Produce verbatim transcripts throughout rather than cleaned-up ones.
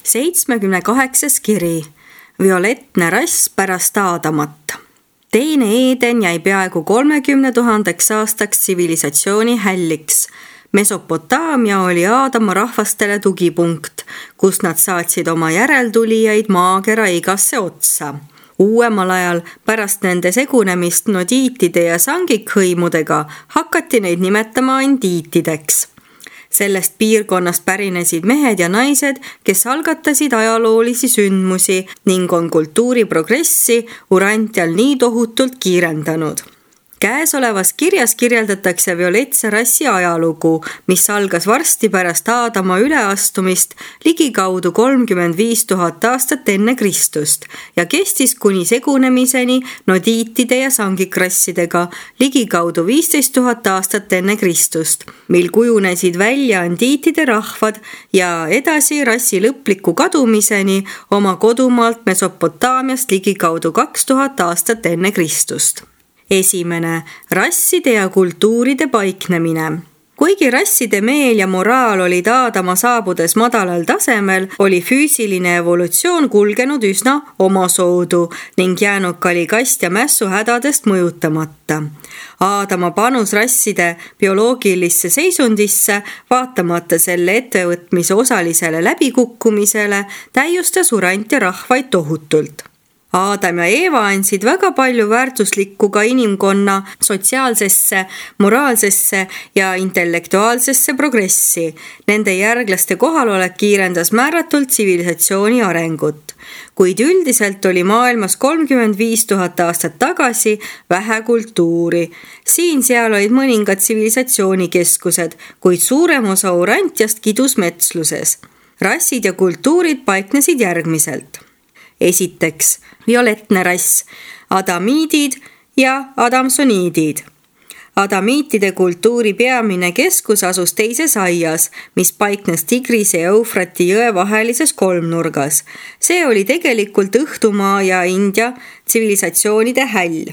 seitsmekümne kaheksas kiri. Violettne rass pärast Aadamat. Teine Eeden jäi peaaegu kolmekümne tuhandeks aastaks tsivilisatsiooni hälliks. Mesopotaamia oli Aadama rahvastele tugipunkt, kus nad saatsid oma järeltulijaid maakera igasse otsa. Uuemal ajal pärast nende segunemist nodiitide ja sangikhõimudega hakati neid nimetama andiitideks. Sellest piirkonnast pärinesid mehed ja naised, kes algatasid ajaloolisi sündmusi ning on kultuuri progressi Urantial nii tohutult kiirendanud. Käesolevas kirjas kirjeldatakse violetse rassi ajalugu, mis algas varsti pärast Aadama üleastumist ligikaudu kolmkümmend viis tuhat aastat enne Kristust ja kestis kuni segunemiseni nodiitide ja sangikrassidega ligikaudu viisteist tuhat aastat enne Kristust, mil kujunesid välja andiitide rahvad ja edasi rassi lõpliku kadumiseni oma kodumaalt Mesopotaamiast ligikaudu kaks tuhat aastat enne Kristust. Esimene, rasside ja kultuuride paiknemine. Kuigi rasside meel ja moraal olid Aadama saabudes madalal tasemel, oli füüsiline evolutsioon kulgenud üsna omasoodu ning jäänud kalikast ja mässu hädadest mõjutamata. Aadama panus rasside bioloogilisse seisundisse, vaatamata selle ettevõtmise osalisele läbikukkumisele, täiustas Urantia rahvaid tohutult. Aadam ja Eeva andsid väga palju väärtuslikku ka inimkonna sotsiaalsesse, moraalsesse ja intellektuaalsesse progressi. Nende järglaste kohalolek kiirendas määratult tsivilisatsiooni arengut. Kuid üldiselt oli maailmas kolmkümmend viis tuhat aastat tagasi vähe kultuuri. Siin-seal olid mõningad tsivilisatsioonikeskused, kuid suurem osa Urantiast kidus metsluses. Rassid ja kultuurid paiknesid järgmiselt. Esiteks, violettne rass, adamiidid ja adamsoniidid. Adamiitide kultuuri peamine keskus asus teises aias, mis paiknes Tigrise ja Eufrati jõe vahelises kolmnurgas. See oli tegelikult Õhtumaa ja India tsivilisatsioonide häll.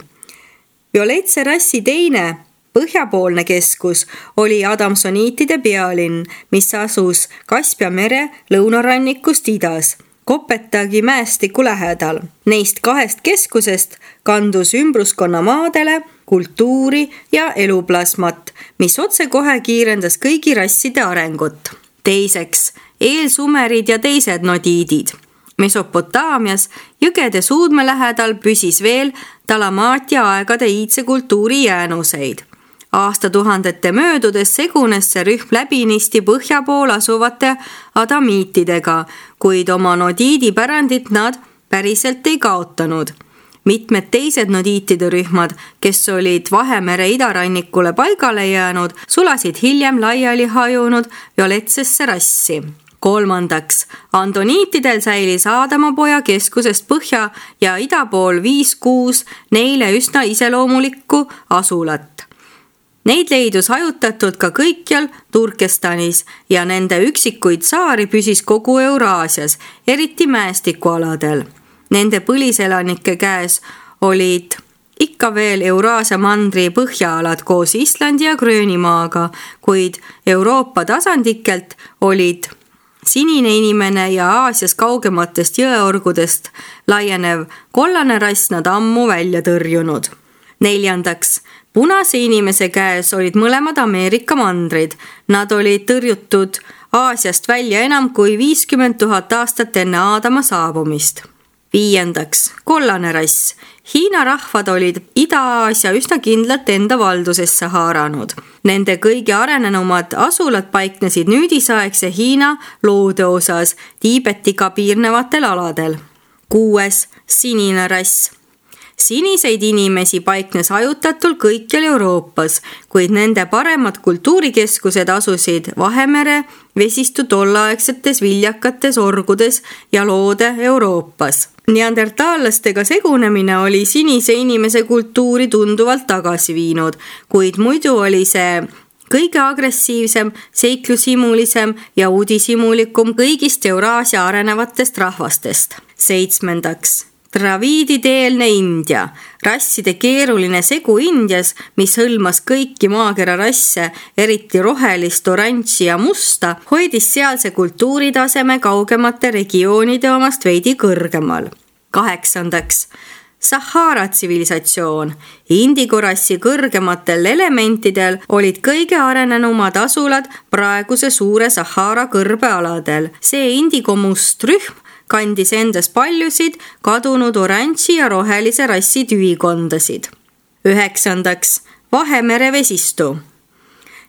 Violetse rassi teine, põhjapoolne keskus oli adamsoniitide pealinn, mis asus Kaspia mere lõunarannikust idas. Kopetagi mäestiku lähedal. Neist kahest keskusest kandus ümbruskonna maadele, kultuuri ja eluplasmat, mis otsekohe kiirendas kõigi rasside arengut. Teiseks, eelsumerid ja teised nodiidid. Mesopotaamias jõgede suudme lähedal püsis veel Talamaatia aegade iidse kultuuri jäänuseid. Aastatuhandete möödudes segunes see rühm läbinisti põhja pool asuvate adamiitidega, kuid oma nodiidi pärandit nad päriselt ei kaotanud. Mitmed teised nodiitide rühmad, kes olid Vahemere idarannikule paigale jäänud, sulasid hiljem laiali hajunud violetsesse rassi. Kolmandaks, andoniitidel säilis Aadamapoja keskusest põhja ja ida pool viis kuus neile üsna iseloomulikku asulat. Neid leidus hajutatud ka kõikjal Turkestanis ja nende üksikuid saari püsis kogu Euraasias, eriti mäestikualadel. Nende põliselanike käes olid ikka veel Euraasia mandri põhjaalad koos Islandi ja Gröönimaaga, kuid Euroopa tasandikelt olid sinine inimene ja Aasias kaugematest jõeorgudest laienev kollane rass nad ammu välja tõrjunud. Neljandaks, punase inimese käes olid mõlemad Ameerika mandrid. Nad olid tõrjutud Aasiast välja enam kui viiskümmend tuhat aastat enne Aadama saabumist. Viiendaks, kollane rass. Hiina rahvad olid Ida-Aasia üsna kindlalt enda valdusesse haaranud. Nende kõige arenenumad asulad paiknesid nüüdisaegse Hiina loode osas Tiibetiga piirnevatel aladel. Kuues, sinine rass. Siniseid inimesi paiknes hajutatult kõikjal Euroopas, kuid nende paremad kultuurikeskused asusid Vahemere vesistu tollaegsetes viljakates orgudes ja loode Euroopas. Neandertaallastega segunemine oli sinise inimese kultuuri tunduvalt tagasi viinud, kuid muidu oli see kõige agressiivsem, seiklusimulisem ja uudishimulikum kõigist Euraasia arenevatest rahvastest. Seitsmendaks. Draviidide-eelne India, rasside keeruline segu Indias, mis hõlmas kõiki maakera rasse, eriti rohelist, oranži ja musta, hoidis sealse kultuuritaseme kaugemate regioonide omast veidi kõrgemal. Kaheksandaks, Sahara tsivilisatsioon. Indigo rassi kõrgematel elementidel olid kõige arenenumad asulad praeguse suure Sahara kõrbealadel. See indigo must rühm kandis endas paljusid kadunud oranži ja rohelise rassi tüvikondasid. Üheksandaks, Vahemere vesistu.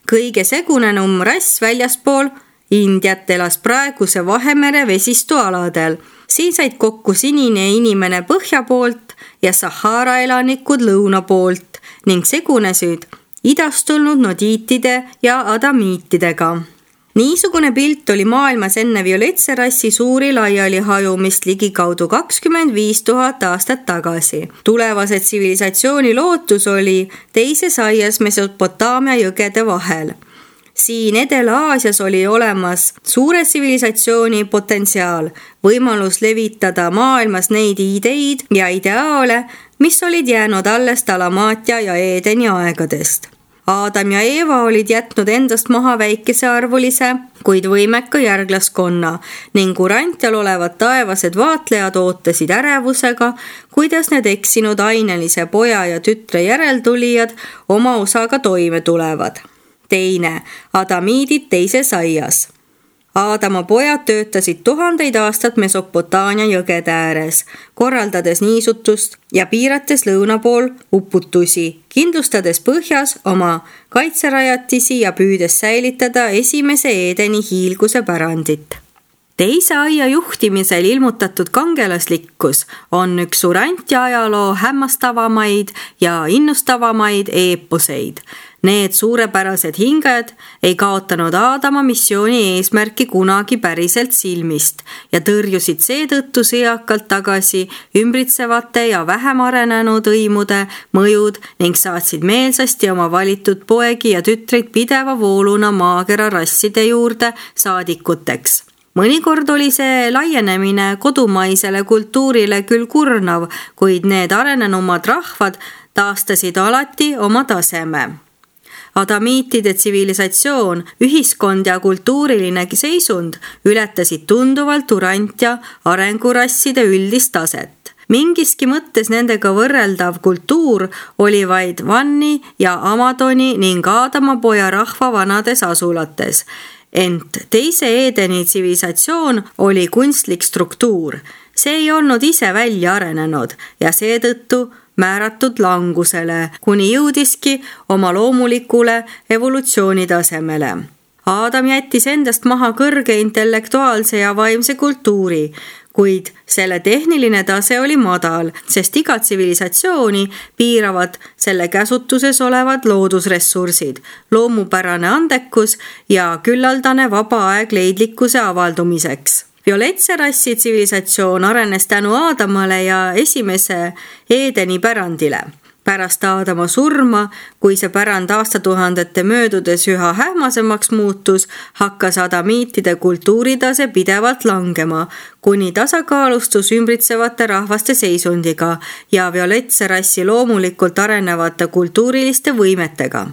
Kõige segunenum rass väljaspool Indiat elas praeguse Vahemere vesistu aladel. Siin said kokku sinine inimene põhja poolt ja Sahara elanikud lõuna poolt ning segunesid idast tulnud nodiitide ja adamiitidega. Niisugune pilt oli maailmas enne violetse rassi suuri laiali hajumist ligikaudu kakskümmend viis tuhat aastat tagasi. Tulevase tsivilisatsiooni lootus oli teises aias Mesopotaamia jõgede vahel. Siin Edela-Aasias oli olemas suure tsivilisatsiooni potentsiaal, võimalus levitada maailmas neid ideid ja ideaale, mis olid jäänud alles Dalamaatia ja Eedeni aegadest. Aadam ja Eeva olid jätnud endast maha väikese arvulise, kuid võimeka järglaskonna ning Urantial olevad taevased vaatlejad ootasid ärevusega, kuidas need eksinud ainelise poja ja tütre järeltulijad oma osaga toime tulevad. Teine, adamiidid teises aias. Aadama pojad töötasid tuhandeid aastat Mesopotaamia jõgede ääres, korraldades niisutust ja piirates lõuna pool uputusi, kindlustades põhjas oma kaitserajatisi ja püüdes säilitada esimese Eedeni hiilguse pärandit. Teise aia juhtimisel ilmutatud kangelaslikkus on üks Urantia ajaloo hämmastavamaid ja innustavamaid eeposeid. Need suurepärased hinged ei kaotanud Aadama missiooni eesmärki kunagi päriselt silmist ja tõrjusid seetõttu sõjakalt tagasi ümbritsevate ja vähem arenenud õimude mõjud ning saatsid meelsasti oma valitud poegi ja tütreid pideva vooluna maakera rasside juurde saadikuteks. Mõnikord oli see laienemine kodumaisele kultuurile küll kurnav, kuid need arenenumad rahvad taastasid alati oma taseme. Adamiitide tsivilisatsioon, ühiskond ja kultuuriline seisund ületasid tunduvalt Urantia arengurasside üldist taset. Mingiski mõttes nendega võrreldav kultuur oli vaid Vanni ja Amadoni ning Aadama poja rahva vanades asulates. Ent teise Eedeni tsivilisatsioon oli kunstlik struktuur. See ei olnud ise välja arenenud ja seetõttu määratud langusele, kuni jõudiski oma loomulikule evolutsioonitasemele. Aadam jättis endast maha kõrge intellektuaalse ja vaimse kultuuri, kuid selle tehniline tase oli madal, sest iga tsivilisatsiooni piiravad selle käsutuses olevad loodusressursid, loomupärane andekus ja küllaldane vaba aeg leidlikkuse avaldumiseks. Violetse rassi tsivilisatsioon arenes tänu Aadamale ja esimese Eedeni pärandile. Pärast Aadama surma, kui see pärand aastatuhandete möödudes üha hähmasemaks muutus, hakkas adamiitide kultuuritase pidevalt langema, kuni tasakaalustus ümbritsevate rahvaste seisundiga ja violetse rassi loomulikult arenevate kultuuriliste võimetega.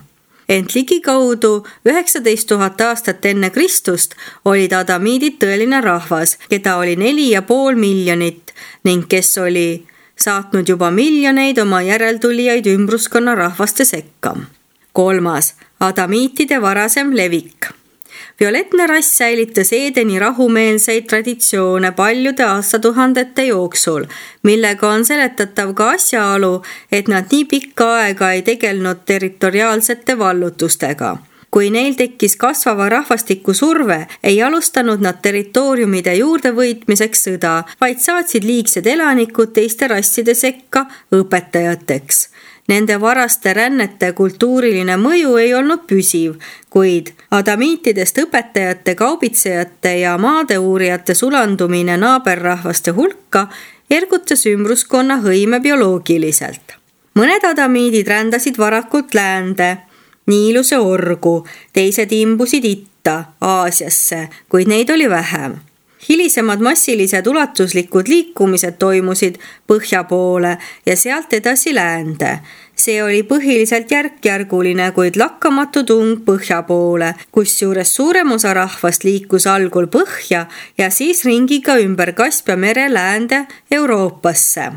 Ent ligikaudu üheksateist tuhat aastat enne Kristust olid adamiidid tõeline rahvas, keda oli neli ja pool miljonit ning kes oli saatnud juba miljoneid oma järeltulijaid ümbruskonna rahvaste sekka. Kolmas, adamiitide varasem levik. Violetne rass säilitas Eedeni rahumeelseid traditsioone paljude aastatuhandete jooksul, millega on seletatav ka asjaolu, et nad nii pikka aega ei tegelnud territoriaalsete vallutustega. Kui neil tekkis kasvava rahvastiku surve, ei alustanud nad territooriumide juurdevõitmiseks sõda, vaid saatsid liigsed elanikud teiste rasside sekka õpetajateks. Nende varaste rännete kultuuriline mõju ei olnud püsiv, kuid adamiitidest õpetajate, kaubitsejate ja maadeuurijate sulandumine naaberrahvaste hulka ergutas ümbruskonna hõime bioloogiliselt. Mõned adamiidid rändasid varakult läände, Niiluse orgu, teised imbusid itta, Aasiasse, kuid neid oli vähem. Hilisemad massilised ulatuslikud liikumised toimusid põhja poole ja sealt edasi läände. See oli põhiliselt järk-järguline, kuid lakkamatu tung põhja poole, kus juures suurem osa rahvast liikus algul põhja ja siis ringiga ümber Kaspia mere läände Euroopasse.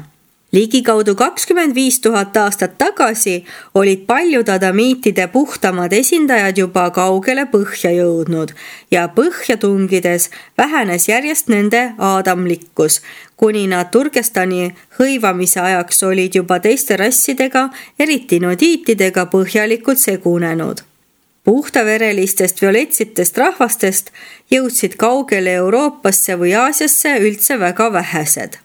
Ligikaudu kakskümmend viis tuhat aastat tagasi olid paljud adamiitide puhtamad esindajad juba kaugele põhja jõudnud ja põhja tungides vähenes järjest nende aadamlikkus, kuni nad Turkestani hõivamise ajaks olid juba teiste rassidega, eriti nodiitidega põhjalikult segunenud. Puhtaverelistest violetsitest rahvastest jõudsid kaugele Euroopasse või Aasiasse üldse väga vähesed.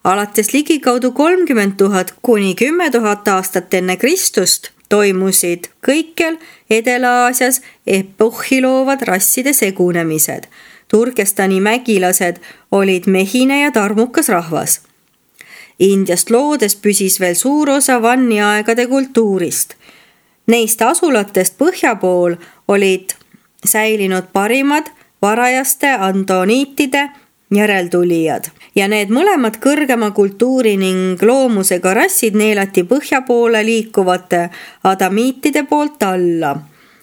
Alates ligikaudu kolmkümmend tuhat kuni kümme tuhat aastat enne Kristust toimusid kõikjal Edela-Aasias epohhi loovad rasside segunemised. Turkestani mägilased olid mehine ja tarmukas rahvas. Indiast loodes püsis veel suur osa vanniaegade kultuurist. Neist asulatest põhja pool olid säilinud parimad varajaste andoniitide järeltulijad ja need mõlemad kõrgema kultuuri ning loomusega rassid neelati põhja poole liikuvate adamiitide poolt alla.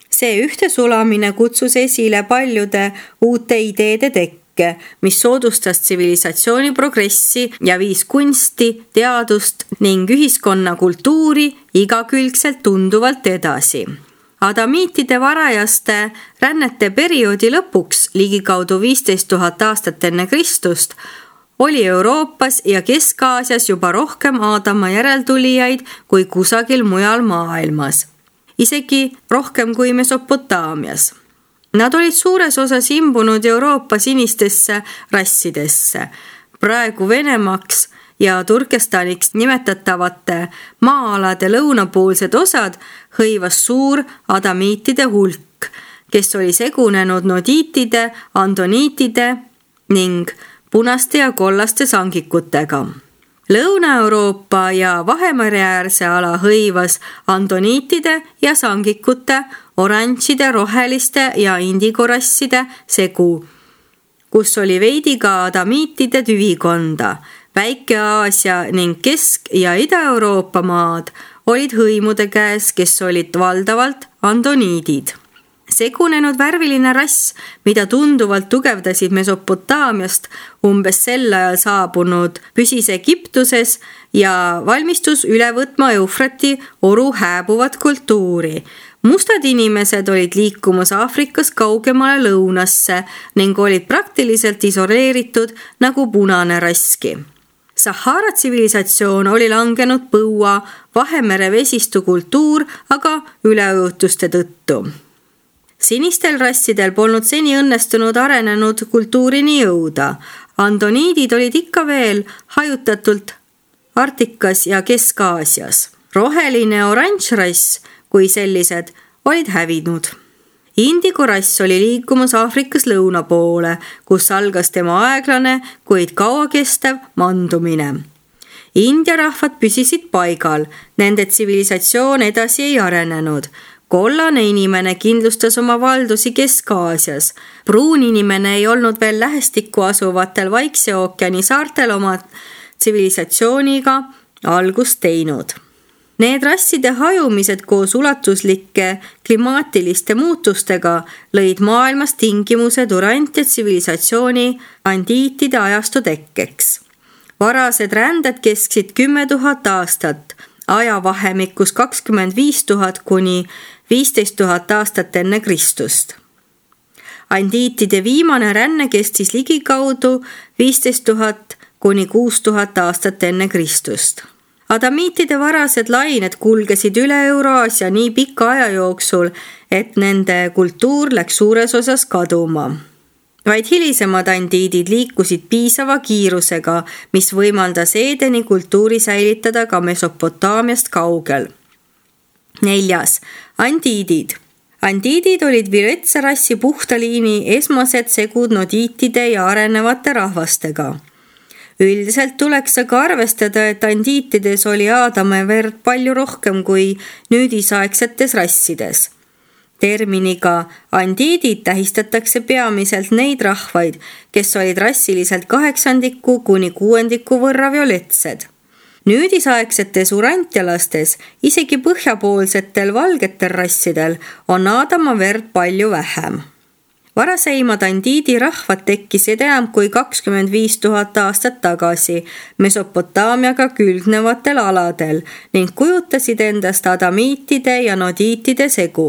See ühtesulamine kutsus esile paljude uute ideede tekke, mis soodustas tsivilisatsiooni progressi ja viis kunsti, teadust ning ühiskonna kultuuri igakülgselt tunduvalt edasi. Adamiitide varajaste rännete perioodi lõpuks, ligikaudu viisteist tuhat aastat enne Kristust, oli Euroopas ja Kesk-Aasias juba rohkem Aadama järeltulijaid kui kusagil mujal maailmas. Isegi rohkem kui Mesopotaamias. Nad olid suures osas imbunud Euroopa sinistesse rassidesse. Praegu Venemaaks ja Turkestaniks nimetatavate maa-alade lõunapoolsed osad hõivas suur adamiitide hulk, kes oli segunenud nodiitide, andoniitide ning punaste ja kollaste sangikutega. Lõuna-Euroopa ja Vahemereäärse ala hõivas andoniitide ja sangikute, oranžide, roheliste ja indigorasside segu, kus oli veidi ka adamiitide tüvikonda. Väike-Aasia ning Kesk- ja Ida-Euroopa maad olid hõimude käes, kes olid valdavalt andoniidid. Segunenud värviline rass, mida tunduvalt tugevdasid Mesopotaamiast umbes sel ajal saabunud, püsis Egiptuses ja valmistus üle võtma Eufrati oru hääbuvat kultuuri. Mustad inimesed olid liikumas Aafrikas kaugemale lõunasse ning olid praktiliselt isoleeritud nagu punane raski. Sahara tsivilisatsioon oli langenud põua, Vahemere vesistu kultuur aga üleujutuste tõttu. Sinistel rassidel polnud seni õnnestunud arenenud kultuurini jõuda. Andoniidid olid ikka veel hajutatult Arktikas ja Kesk-Aasias. Roheline oranžrass kui sellised olid hävinud. Indigorass oli liikumas Aafrikas lõuna poole, kus algas tema aeglane, kuid kauakestev mandumine. India rahvad püsisid paigal, nende tsivilisatsioon edasi ei arenenud. Kollane inimene kindlustas oma valdusi Kesk-Aasias. Pruun inimene ei olnud veel lähestikku asuvatel Vaikse ookeani saartel oma tsivilisatsiooniga algust teinud. Need rasside hajumised koos ulatuslike klimaatiliste muutustega lõid maailmas tingimused urant- ja tsivilisatsiooni andiitide ajastu tekkeks. Varased ränded kesksid kümme tuhat aastat, ajavahemikus kakskümmend viis tuhat kuni viisteist tuhat aastat enne Kristust. Andiitide viimane ränne kestis ligikaudu viisteist tuhat kuni kuus tuhat aastat enne Kristust. Adamiitide varased lained kulgesid üle Euraasia nii pika aja jooksul, et nende kultuur läks suures osas kaduma. Vaid hilisemad andiidid liikusid piisava kiirusega, mis võimaldas Eedeni kultuuri säilitada ka Mesopotaamiast kaugel. Neljas. Andiidid. Andiidid olid viretsa rassi puhtaliini esmased segud nodiitide ja arenevate rahvastega. Üldiselt tuleks aga arvestada, et andiitides oli Aadame verd palju rohkem kui nüüdisaegsetes rassides. Terminiga andiidid tähistatakse peamiselt neid rahvaid, kes olid rassiliselt kaheksandiku kuni kuuendiku võrra violetsed. Nüüdisaegsetes urantialastes, isegi põhjapoolsetel valgetel rassidel on Aadama verd palju vähem. Varaseimad andiidi rahvad tekkisid enam kui kakskümmend viis tuhat aastat tagasi Mesopotaamiaga külgnevatel aladel ning kujutasid endast adamiitide ja nodiitide segu.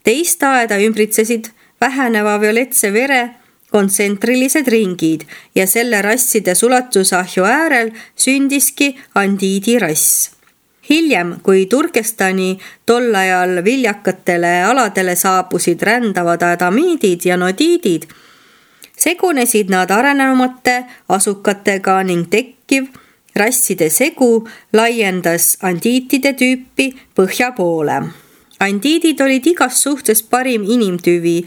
Teist aeda ümbritsesid väheneva violetse vere kontsentrilised ringid ja selle rasside sulatusahju äärel sündiski andiidi rass. Hiljem, kui Turkestani tol ajal viljakatele aladele saabusid rändavad adamiidid ja nodiidid, segunesid nad arenenumate asukatega ning tekkiv rasside segu laiendas andiitide tüüpi põhja poole. Andiidid olid igas suhtes parim inimtüvi,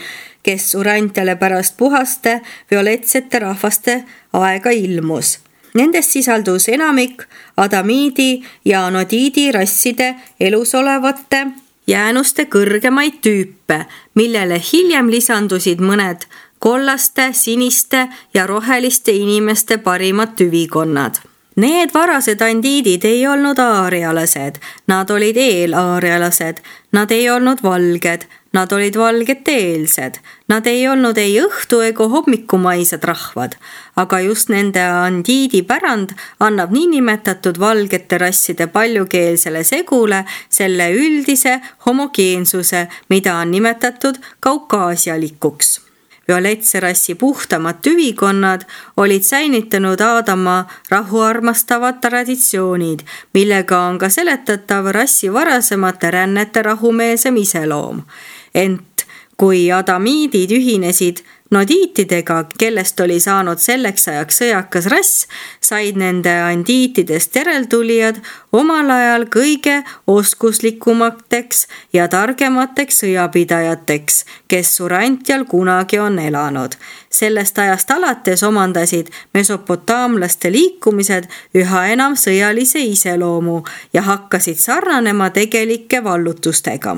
kes urantiale pärast puhaste violetsete rahvaste aega ilmus. Nendest sisaldus enamik adamiidi ja nodiidi rasside elus olevate jäänuste kõrgemaid tüüpe, millele hiljem lisandusid mõned kollaste, siniste ja roheliste inimeste parimad tüvikonnad. Need varased andiidid ei olnud aarialased, nad olid eelaarialased, nad ei olnud valged, nad olid valgete-eelsed, nad ei olnud ei õhtu ega hommikumaised rahvad, aga just nende andiidi pärand annab niinimetatud valgete rasside paljukeelsele segule selle üldise homogeensuse, mida on nimetatud kaukaasialikuks. Violetse rassi puhtamad tüvikonnad olid säinitanud Aadama rahuarmastavad traditsioonid, millega on ka seletatav rassi varasemate rännete rahumeelsem iseloom. Ent kui adamiidid ühinesid nodiitidega, kellest oli saanud selleks ajaks sõjakas rass, said nende andiitidest järeltulijad omal ajal kõige oskuslikumateks ja targemateks sõjapidajateks, kes urantial kunagi on elanud. Sellest ajast alates omandasid mesopotaamlaste liikumised üha enam sõjalise iseloomu ja hakkasid sarnanema tegelike vallutustega.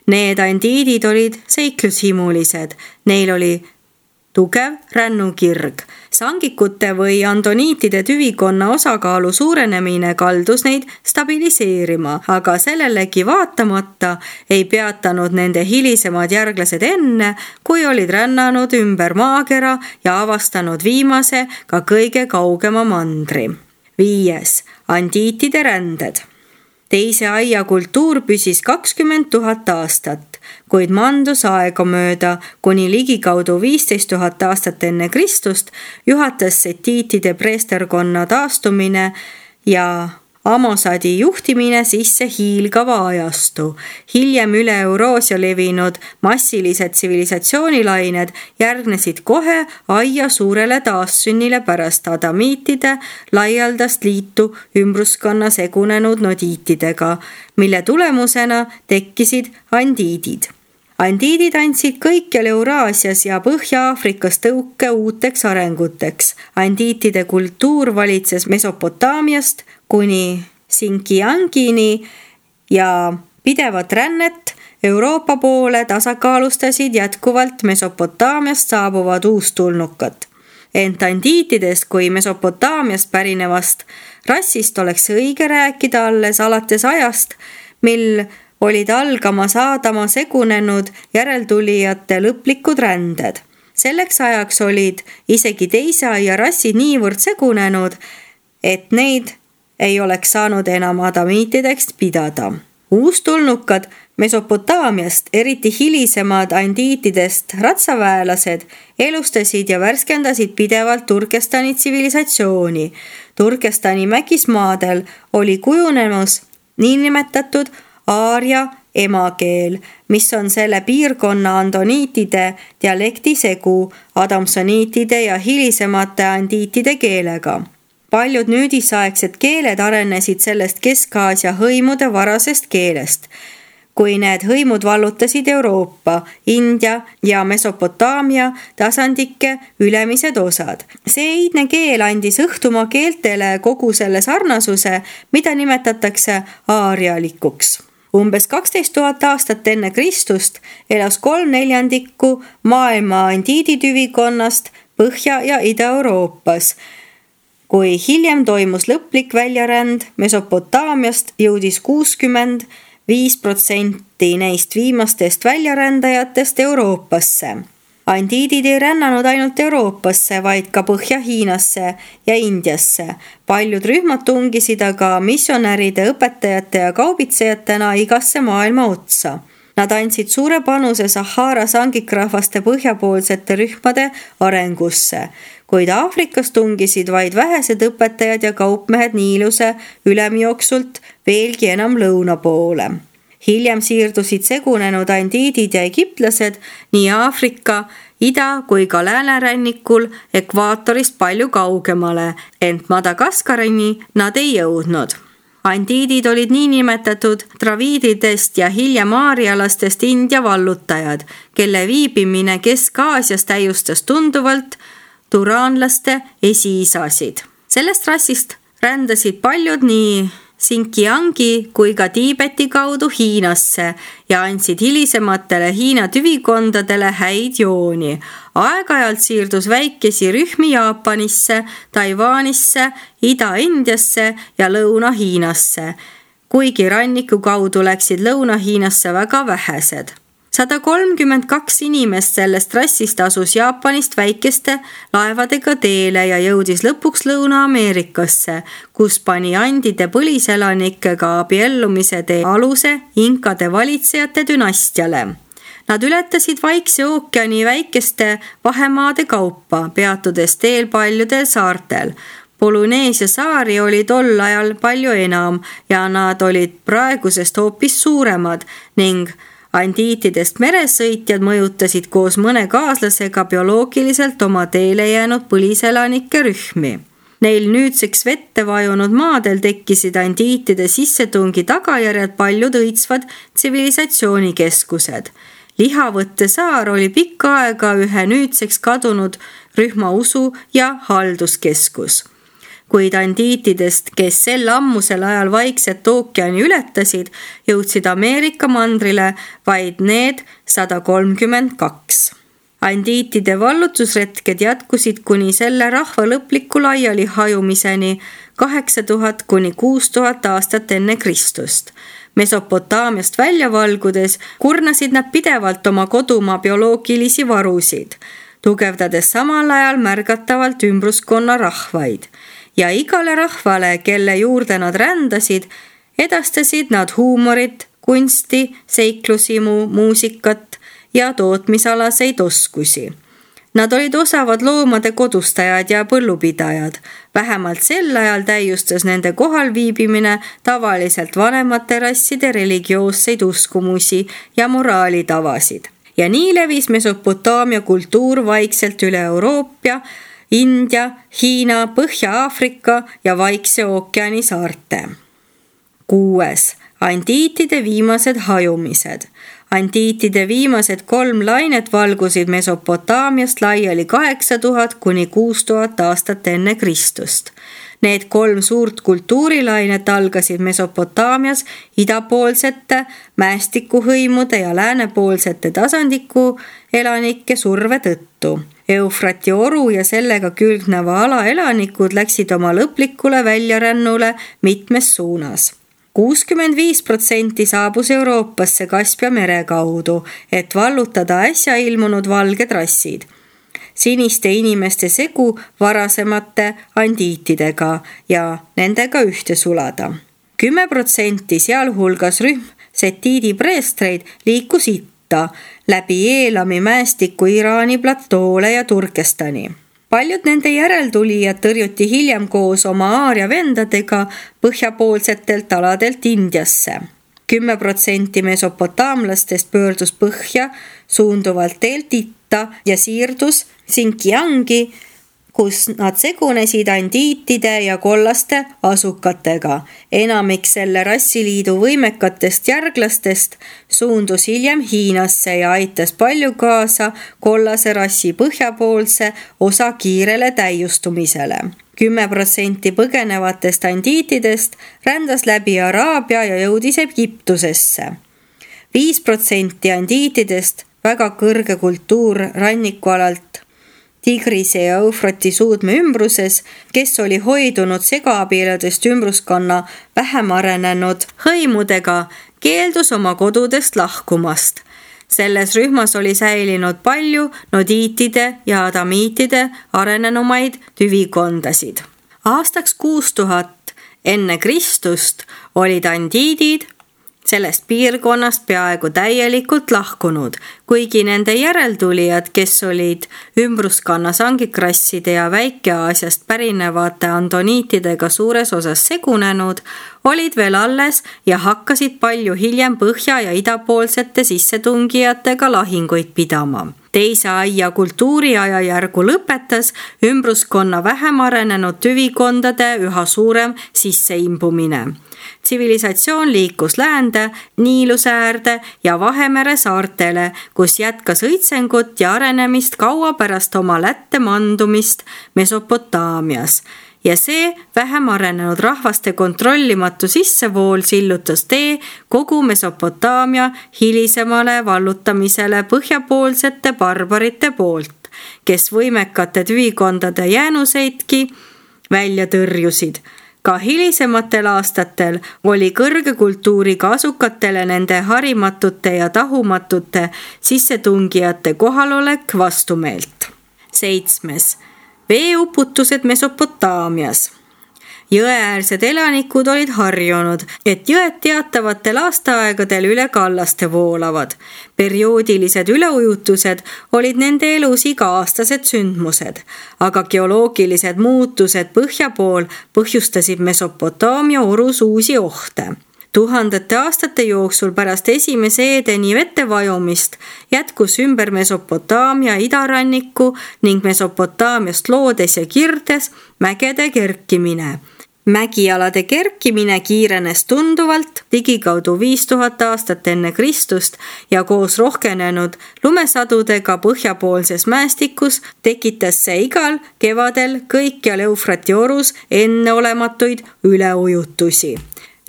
Need andiidid olid seiklushimulised, neil oli tugev rännukirg. Sangikute või andoniitide tüvikonna osakaalu suurenemine kaldus neid stabiliseerima, aga sellelegi vaatamata ei peatanud nende hilisemad järglased enne, kui olid rännanud ümber maakera ja avastanud viimase ka kõige kaugema mandri. Viies. Andiitide ränded. Teise aia kultuur püsis kakskümmend tuhat aastat, kuid mandus aega mööda, kuni ligikaudu viisteist tuhat aastat enne Kristust juhatas setiitide preesterkonna taastumine ja Amosadi juhtimine sisse hiilgava ajastu. Hiljem üle Euroosia levinud massilised tsivilisatsioonilained järgnesid kohe aia suurele taassünnile pärast adamiitide laialdast liitu ümbruskonna segunenud nodiitidega, mille tulemusena tekkisid andiidid. Andiidid andsid kõikjal Euraasias ja Põhja-Aafrikas tõuke uuteks arenguteks. Andiitide kultuur valitses Mesopotaamiast kuni Sinkiangini ja pidevat rännet Euroopa poole tasakaalustasid jätkuvalt Mesopotaamiast saabuvad uustulnukat. Ent andiitidest kui Mesopotaamiast pärinevast rassist oleks õige rääkida alles alates ajast, mil olid algamas Aadama segunenud järeltulijate lõplikud ränded. Selleks ajaks olid isegi teise aia rassid niivõrd segunenud, et neid ei oleks saanud enam adamiitideks pidada. Uustulnukad Mesopotaamiast, eriti hilisemad andiitidest ratsaväelased, elustasid ja värskendasid pidevalt Turkestani tsivilisatsiooni. Turkestani mägismaadel oli kujunemus niinimetatud aaria emakeel, mis on selle piirkonna andoniitide dialekti segu adamsoniitide ja hilisemate andiitide keelega. Paljud nüüdisaegsed keeled arenesid sellest Kesk-Aasia hõimude varasest keelest. Kui need hõimud vallutasid Euroopa, India ja Mesopotaamia tasandike ülemised osad. See iidne keel andis õhtumaa keeltele kogu selle sarnasuse, mida nimetatakse aarialikuks. Umbes kaksteist tuhat aastat enne Kristust elas kolm neljandikku maailma andiiditüvikonnast Põhja- ja Ida-Euroopas. Kui hiljem toimus lõplik väljaränd Mesopotaamiast, jõudis kuuskümmend viis protsenti neist viimastest väljarändajatest Euroopasse. Andiidid ei rännanud ainult Euroopasse, vaid ka Põhja-Hiinasse ja Indiasse. Paljud rühmad tungisid aga missionäride, õpetajate ja kaubitsejatena igasse maailma otsa. Nad andsid suure panuse Sahara sangikrahvaste põhjapoolsete rühmade arengusse, kuid Aafrikas tungisid vaid vähesed õpetajad ja kaupmehed Niiluse ülemjooksult veelgi enam lõuna poole. Hiljem siirdusid segunenud andiidid ja egiptlased nii Aafrika, ida- kui ka läänerannikul ekvaatorist palju kaugemale, ent Madagaskarini nad ei jõudnud. Andiidid olid niinimetatud draviididest ja hiljem aarialastest India vallutajad, kelle viibimine Kesk-Aasias täiustas tunduvalt turaanlaste esiisasid. Sellest rassist rändasid paljud nii Xinjiangi kui ka Tiibeti kaudu Hiinasse ja andsid hilisematele Hiina tüvikondadele häid jooni. Aeg-ajalt siirdus väikesi rühmi Jaapanisse, Taiwanisse, Ida-Indiasse ja Lõuna-Hiinasse, kuigi ranniku kaudu läksid Lõuna-Hiinasse väga vähesed. sada kolmkümmend kaks inimest sellest rassist asus Jaapanist väikeste laevadega teele ja jõudis lõpuks Lõuna-Ameerikasse, kus pani andide põliselanikega abiellumise tee aluse inkade valitsejate dünastiale. Nad ületasid Vaikse ookeani väikeste vahemaade kaupa, peatudes teel paljudel saartel. Polüneesia saari oli tol ajal palju enam ja nad olid praegusest hoopis suuremad ning andiitidest meresõitjad mõjutasid koos mõne kaaslasega bioloogiliselt oma teele jäänud põliselanike rühmi. Neil nüüdseks vette vajunud maadel tekkisid andiitide sissetungi tagajärjel paljud õitsvad tsivilisatsioonikeskused. Lihavõtte saar oli pikka aega ühe nüüdseks kadunud rühma usu- ja halduskeskus. Kuid andiitidest, kes sel ammusel ajal Vaikset ookeani ületasid, jõudsid Ameerika mandrile vaid need sada kolmkümmend kaks. Andiitide vallutusretked jätkusid kuni selle rahva lõpliku laiali hajumiseni kaheksa tuhat kuni kuus tuhat aastat enne Kristust. Mesopotaamiast välja valgudes kurnasid nad pidevalt oma kodumaa bioloogilisi varusid, tugevdades samal ajal märgatavalt ümbruskonna rahvaid. Ja igale rahvale, kelle juurde nad rändasid, edastasid nad huumorit, kunsti, seiklusimu, muusikat ja tootmisalaseid oskusi. Nad olid osavad loomade kodustajad ja põllupidajad. Vähemalt sel ajal täiustas nende kohalviibimine tavaliselt vanemate rasside religioosseid uskumusi ja moraalitavasid. Ja nii levis Mesopotaamia kultuur vaikselt üle Euroopa, India, Hiina, Põhja-Aafrika ja Vaikse ookeani saarte. Kuues. Andiitide viimased hajumised. Andiitide viimased kolm lainet valgusid Mesopotaamiast laiali kaheksa tuhat kuni kuus tuhat aastat enne Kristust. Need kolm suurt kultuurilainet algasid Mesopotaamias idapoolsete mäestikuhõimude ja läänepoolsete tasandiku elanike surve tõttu. Eufrati oru ja sellega külgneva ala elanikud läksid oma lõplikule väljarännule mitmes suunas. kuuskümmend viis protsenti saabus Euroopasse Kaspia mere kaudu, et vallutada äsja ilmunud valged rassid. Siniste inimeste segu varasemate andiitidega ja nendega ühte sulada. kümme protsenti sealhulgas rühm setiidi preestreid liikus itta läbi Eelami mäestiku Iraani platoole ja Turkestani. Paljud nende järeltulijad tõrjuti hiljem koos oma aaria vendadega põhjapoolsetelt aladelt Indiasse. kümme protsenti mesopotaamlastest pöördus põhja suunduvalt teelt itta ja siirdus Xinjiangi, kus nad segunesid andiitide ja kollaste asukatega. Enamik selle rassiliidu võimekatest järglastest suundus hiljem Hiinasse ja aitas palju kaasa kollase rassi põhjapoolse osa kiirele täiustumisele. kümme protsenti põgenevatest andiitidest rändas läbi Araabia ja jõudis Egiptusesse. viis protsenti andiitidest, väga kõrge kultuur rannikualalt Tigrise ja Eufrati suudme ümbruses, kes oli hoidunud segaabieludest ümbruskonna vähem arenenud hõimudega, keeldus oma kodudest lahkumast. Selles rühmas oli säilinud palju nodiitide ja adamiitide arenenumaid tüvikondasid. Aastaks kuus tuhat enne Kristust olid andiidid sellest piirkonnast peaaegu täielikult lahkunud, kuigi nende järeltulijad, kes olid ümbruskonna sangikrasside ja Väike-Aasiast pärinevate andoniitidega suures osas segunenud, olid veel alles ja hakkasid palju hiljem põhja- ja idapoolsete sissetungijatega lahinguid pidama. Teise aia kultuuriaja järgu lõpetas ümbruskonna vähem arenenud tüvikondade üha suurem sisseimbumine. Tsivilisatsioon liikus läände, Niiluse äärde ja Vahemere saartele, kus jätkas õitsengut ja arenemist kaua pärast oma Lätte mandumist Mesopotaamias. Ja see vähem arenenud rahvaste kontrollimatu sissevool sillutas tee kogu Mesopotaamia hilisemale vallutamisele põhjapoolsete barbarite poolt, kes võimekate tüvikondade jäänuseidki välja tõrjusid. Ka hilisematel aastatel oli kõrge kultuuriga asukatele nende harimatute ja tahumatute sissetungijate kohalolek vastumeelt. Seitsmes. Veeuputused Mesopotaamias. Jõeäärsed elanikud olid harjunud, et jõed teatavatel aastaaegadel üle kallaste voolavad. Perioodilised üleujutused olid nende elus iga-aastased sündmused, aga geoloogilised muutused põhja pool põhjustasid Mesopotaamia orus uusi ohte. Tuhandete aastate jooksul pärast esimese Eedeni vetevajumist jätkus ümber Mesopotaamia idaranniku ning Mesopotaamiast loodes ja kirdes mägede kerkimine. Mägialade kerkimine kiirenes tunduvalt ligikaudu viis tuhat aastat enne Kristust ja koos rohkenenud lumesadudega põhjapoolses mäestikus tekitas see igal kevadel kõikjal Eufrati orus enneolematuid üleujutusi.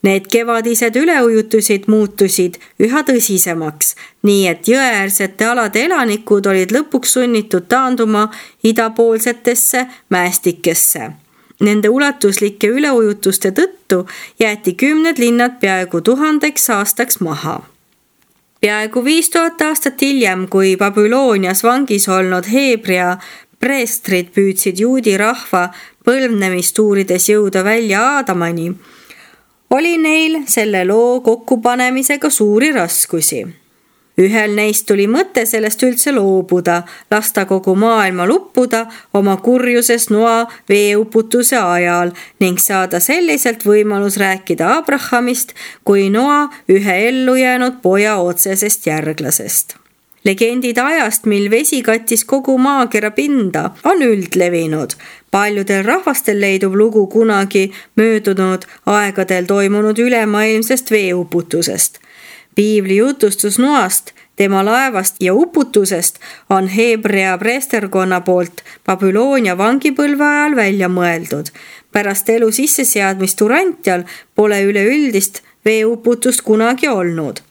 Need kevadised üleujutusid muutusid üha tõsisemaks, nii et jõeäärsete alade elanikud olid lõpuks sunnitud taanduma idapoolsetesse mäestikesse. Nende ulatuslike üleujutuste tõttu jäeti kümned linnad peaaegu tuhandeks aastaks maha. Peaaegu viis tuhat aastat hiljem, kui Babylonias vangis olnud Heebrea preestrid püüdsid juudi rahva põlvnemist uurides jõuda välja Aadamani, oli neil selle loo kokkupanemisega suuri raskusi. Ühel neist tuli mõte sellest üldse loobuda, lasta kogu maailma luppuda oma kurjuses noa veeuputuse ajal ning saada selliselt võimalus rääkida Abrahamist kui noa ühe ellujäänud poja otsesest järglasest. Legendid ajast, mil vesi kattis kogu maakera pinda, on üldlevinud. Paljudel rahvastel leidub lugu kunagi möödunud aegadel toimunud ülemaailmsest veeuputusest. Piibli jutustus Noast, tema laevast ja uputusest on Heebrea preesterkonna poolt Babyloonia vangipõlve ajal välja mõeldud. Pärast elu sisseseadmist Urantial pole üleüldist veeuputust kunagi olnud.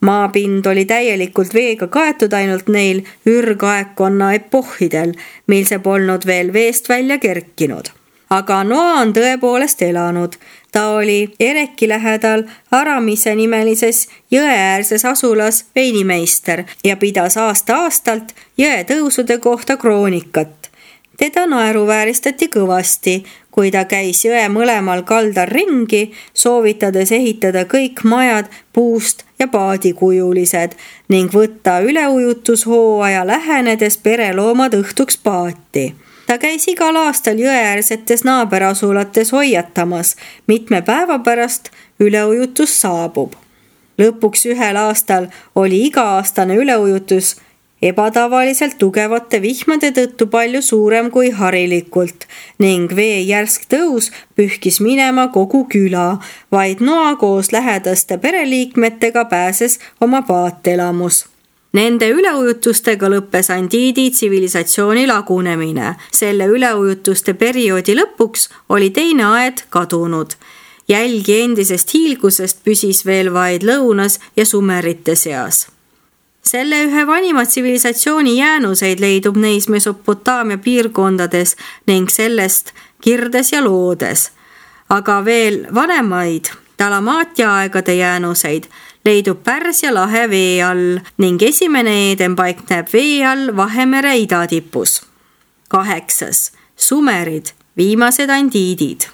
Maapind oli täielikult veega kaetud ainult neil ürgaegkonna epohhidel, mil see polnud veel veest välja kerkinud. Aga Noa on tõepoolest elanud. Ta oli Ereki lähedal Aramise nimelises jõeäärses asulas veinimeister ja pidas aasta-aastalt jõe tõusude kohta kroonikat. Teda naeruvääristati kõvasti, kui ta käis jõe mõlemal kaldal ringi, soovitades ehitada kõik majad puust ja paadikujulised ning võtta üleujutushooaja lähenedes pereloomad õhtuks paati. Ta käis igal aastal jõeäärsetes naaberasulates hoiatamas, mitme päeva pärast üleujutus saabub. Lõpuks ühel aastal oli iga-aastane üleujutus ebatavaliselt tugevate vihmade tõttu palju suurem kui harilikult ning vee järsk tõus pühkis minema kogu küla, vaid Noa koos lähedaste pereliikmetega pääses oma paatelamus. Nende üleujutustega lõppes andiidi tsivilisatsiooni lagunemine. Selle üleujutuste perioodi lõpuks oli teine aed kadunud. Jälgi endisest hiilgusest püsis veel vaid lõunas ja sumerite seas. Selle ühe vanima tsivilisatsiooni jäänuseid leidub neis Mesopotaamia piirkondades ning sellest Kirdes ja Loodes. Aga veel vanemaid Dalamaatia aegade jäänuseid leidub Pärsia lahe vee all ning esimene Eeden paikneb vee all Vahemere idatipus. Kaheksas. Sumerid, viimased andiidid.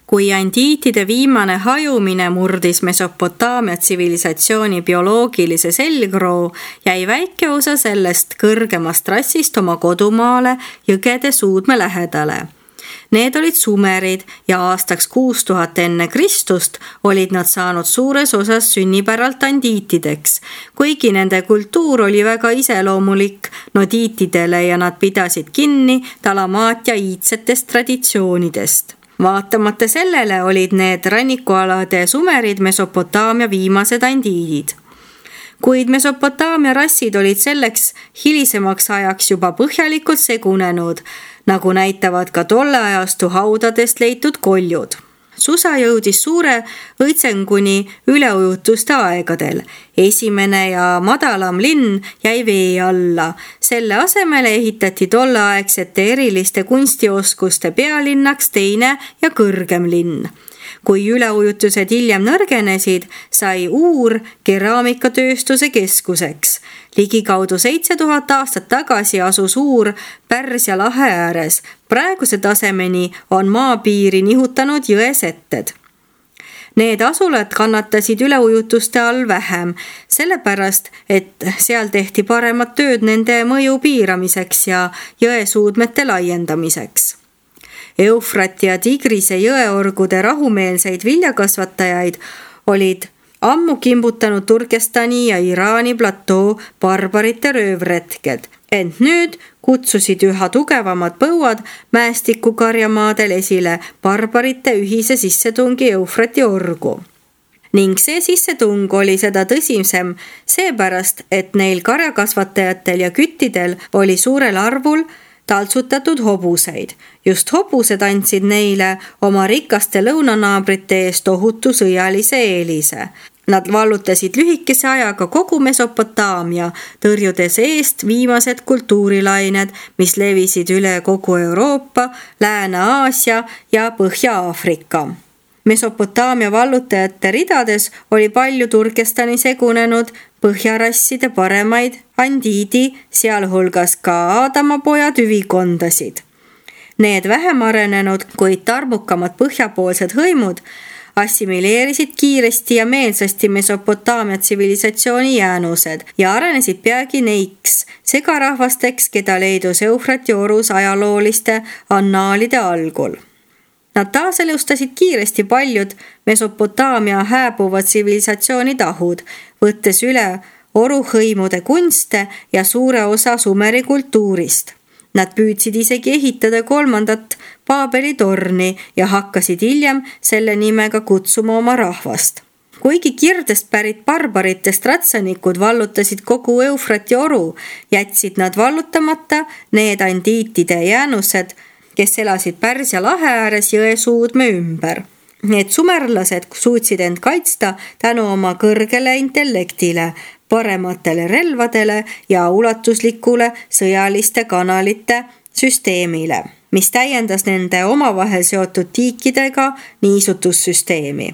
Kui andiitide viimane hajumine murdis Mesopotaamia tsivilisatsiooni bioloogilise selgroo, jäi väike osa sellest kõrgemast rassist oma kodumaale jõgede suudme lähedale. Need olid sumerid ja aastaks kuus tuhat enne Kristust olid nad saanud suures osas sünnipäralt andiitideks, kuigi nende kultuur oli väga iseloomulik nodiitidele ja nad pidasid kinni Dalamaatia iidsetest traditsioonidest. Vaatamata sellele olid need rannikualade sumerid Mesopotaamia viimased andiidid. Kuid Mesopotaamia rassid olid selleks hilisemaks ajaks juba põhjalikult segunenud, nagu näitavad ka tolle ajastu haudadest leitud koljud. Susa jõudis suure õitsenguni üleujutuste aegadel. Esimene ja madalam linn jäi vee alla. Selle asemele ehitati tolleaegsete eriliste kunstioskuste pealinnaks teine ja kõrgem linn. Kui üleujutused hiljem nõrgenesid, sai Uur keraamikatööstuse keskuseks. Ligikaudu seitse tuhat aastat tagasi asus Uur Pärsia lahe ääres. Praeguse tasemeni on maapiiri nihutanud jõesetted. Need asulad kannatasid üleujutuste all vähem, sellepärast, et seal tehti paremat tööd nende mõju piiramiseks ja jõesuudmete laiendamiseks. Eufrati ja Tigrise jõeorgude rahumeelseid viljakasvatajaid olid ammu kimbutanud Turkestani ja Iraani platoo barbarite röövretked, ent nüüd kutsusid üha tugevamad põuad mäestikukarjamaadel esile barbarite ühise sissetungi Eufrati orgu. Ning see sissetung oli seda tõsisem seepärast, et neil karjakasvatajatel ja küttidel oli suurel arvul taltsutatud hobuseid. Just hobused andsid neile oma rikaste lõunanaabrite eest tohutu sõjalise eelise. Nad vallutasid lühikese ajaga kogu Mesopotaamia, tõrjudes eest viimased kultuurilained, mis levisid üle kogu Euroopa, Lääne-Aasia ja Põhja-Aafrika. Mesopotaamia vallutajate ridades oli palju Turkestani segunenud põhjarasside paremaid andiidi, sealhulgas ka Aadamapoja tüvikondasid. Need vähem arenenud, kuid tarmukamad põhjapoolsed hõimud assimileerisid kiiresti ja meelsasti Mesopotaamia tsivilisatsiooni jäänused ja arenesid peagi neiks, segarahvasteks, keda leidus Eufrati orus ajalooliste annaalide algul. Nad taaselustasid kiiresti paljud Mesopotaamia hääbuva tsivilisatsiooni tahud, võttes üle oruhõimude kunste ja suure osa sumeri kultuurist. Nad püüdsid isegi ehitada kolmandat Paabeli torni ja hakkasid hiljem selle nimega kutsuma oma rahvast. Kuigi Kirdest pärit barbaritest ratsanikud vallutasid kogu Eufrati oru, jätsid nad vallutamata need andiitide jäänused, kes elasid Pärsia lahe ääres jõesuudme ümber. Need sumerlased suutsid end kaitsta tänu oma kõrgele intellektile, parematele relvadele ja ulatuslikule sõjaliste kanalite süsteemile, mis täiendas nende omavahel seotud tiikidega niisutussüsteemi.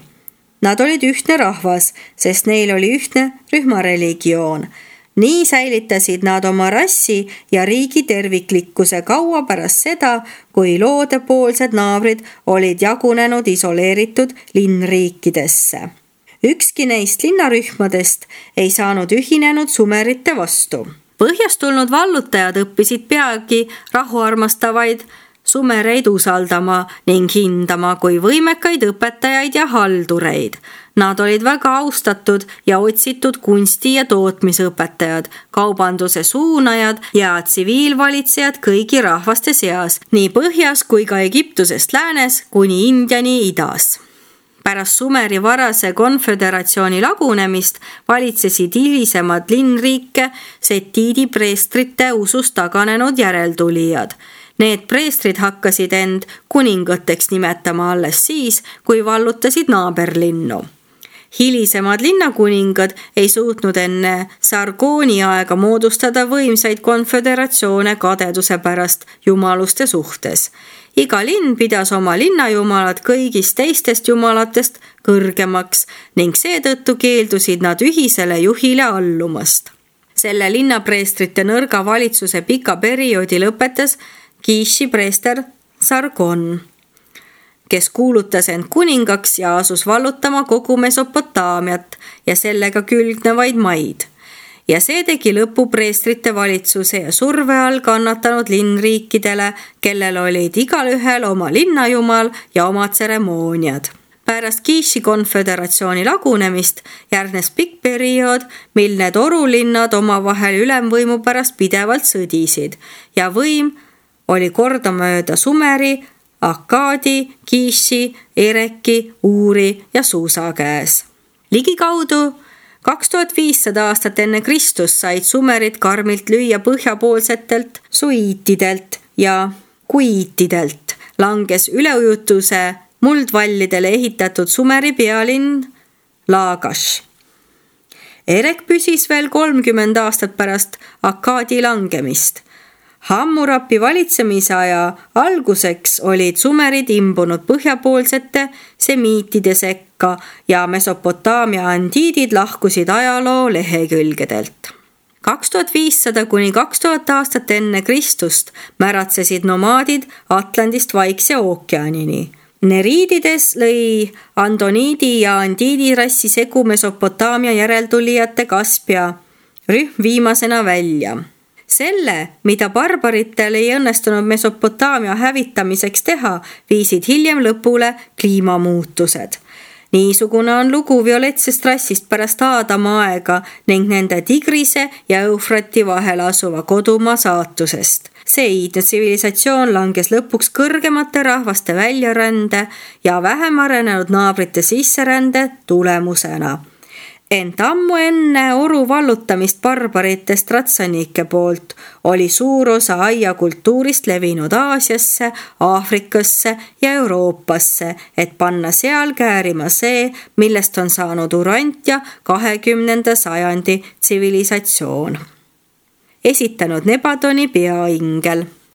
Nad olid ühtne rahvas, sest neil oli ühtne rühmareligioon. Nii säilitasid nad oma rassi ja riigi terviklikkuse kaua pärast seda, kui loodepoolsed naabrid olid jagunenud isoleeritud linnriikidesse. Ükski neist linnarühmadest ei saanud ühinenud sumerite vastu. Põhjast tulnud vallutajad õppisid peagi rahuarmastavaid sumereid usaldama ning hindama kui võimekaid õpetajaid ja haldureid. Nad olid väga austatud ja otsitud kunsti- ja tootmisõpetajad, kaubanduse suunajad ja tsiviilvalitsejad kõigi rahvaste seas, nii põhjas kui ka Egiptusest läänes kuni Indiani idas. Pärast Sumeri varase konföderatsiooni lagunemist valitsesid hilisemad linnriike setiidi preestrite usust taganenud järeltulijad. Need preestrid hakkasid end kuningateks nimetama alles siis, kui vallutasid naaberlinnu. Hilisemad linnakuningad ei suutnud enne Sargoni aega moodustada võimsaid konföderatsioone kadeduse pärast jumaluste suhtes. Iga linn pidas oma linnajumalad kõigist teistest jumalatest kõrgemaks ning seetõttu keeldusid nad ühisele juhile allumast. Selle linnapreestrite nõrga valitsuse pika perioodi lõpetas Kiši preester Sargon, kes kuulutas end kuningaks ja asus vallutama kogu Mesopotaamiat ja sellega külgnevaid maid. Ja see tegi lõpu preestrite valitsuse ja surve all kannatanud linnriikidele, kellel olid igalühel oma linnajumal ja oma tseremooniad. Pärast Kiši konföderatsiooni lagunemist järgnes pikk periood, mil need orulinnad omavahel ülemvõimu pärast pidevalt sõdisid ja võim oli kordamööda Sumeri, Akkaadi, Kiši, Ereki, Uuri ja Suusa käes. Ligikaudu kaks tuhat viissada aastat enne Kristust said sumerid karmilt lüüa põhjapoolsetelt suiitidelt ja kuiitidelt. Langes üleujutuse muldvallidele ehitatud Sumeri pealinn Lagash. Erek püsis veel kolmkümmend aastat pärast Akkaadi langemist. Hammurapi valitsemise aja alguseks olid sumerid imbunud põhjapoolsete semiitide sekka ja Mesopotaamia andiidid lahkusid ajaloo lehekülgedelt. kaks tuhat viissada kuni kaks tuhat aastat enne Kristust märatsesid nomaadid Atlandist Vaikse ookeanini. Neriidides lõi andoniidi ja andiidi rassi segu Mesopotaamia järeltulijate Kaspia rühm viimasena välja. Selle, mida barbaritel ei õnnestunud Mesopotaamia hävitamiseks teha, viisid hiljem lõpule kliimamuutused. Niisugune on lugu violetsest rassist pärast Aadama aega ning nende Tigrise ja Eufrati vahel asuva kodumaa saatusest. See iidne tsivilisatsioon langes lõpuks kõrgemate rahvaste väljarände ja vähem arenenud naabrite sisserände tulemusena. Ent ammu enne oru vallutamist barbarite stratsanike poolt oli suur osa aia kultuurist levinud Aasiasse, Aafrikasse ja Euroopasse, et panna seal käärima see, millest on saanud Urantia kahekümnenda sajandi tsivilisatsioon. Esitanud Nebadoni peaingel.